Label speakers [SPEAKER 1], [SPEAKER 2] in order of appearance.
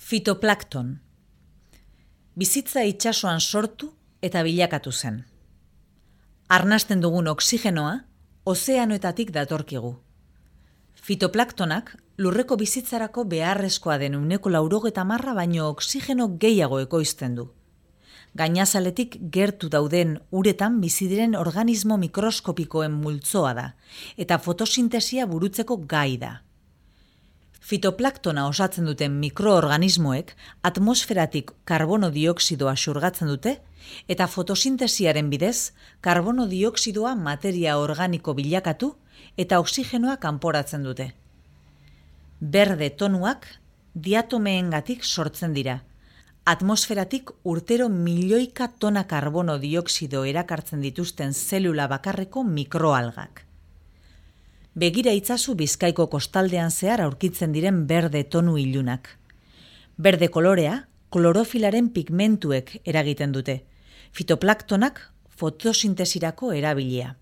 [SPEAKER 1] Fitoplankton. Bizitza itsasoan sortu eta bilakatu zen. Arnasten dugun oxigenoa ozeanoetatik datorkigu. Fitoplanktonak lurreko bizitzarako beharrezkoa den 90% baino oxigeno gehiago ekoizten du. Gainazaletik gertu dauden uretan bizi diren organismo mikroskopikoen multzoa da eta fotosintesia burutzeko gai da. Fitoplanktona osatzen duten mikroorganismoek atmosferatik karbono dioxidoa xurgatzen dute eta fotosintesiaren bidez karbono dioxidoa materia organiko bilakatu eta oxigenoa kanporatzen dute. Berde tonuak diatomeengatik sortzen dira. Atmosferatik urtero milioika tona karbono dioxido erakartzen dituzten zelula bakarreko mikroalgak. Begira itzazu Bizkaiko kostaldean zehar aurkitzen diren berde tonu ilunak. Berde kolorea klorofilaren pigmentuek eragiten dute. Fitoplanktonak fotosintesirako erabilia.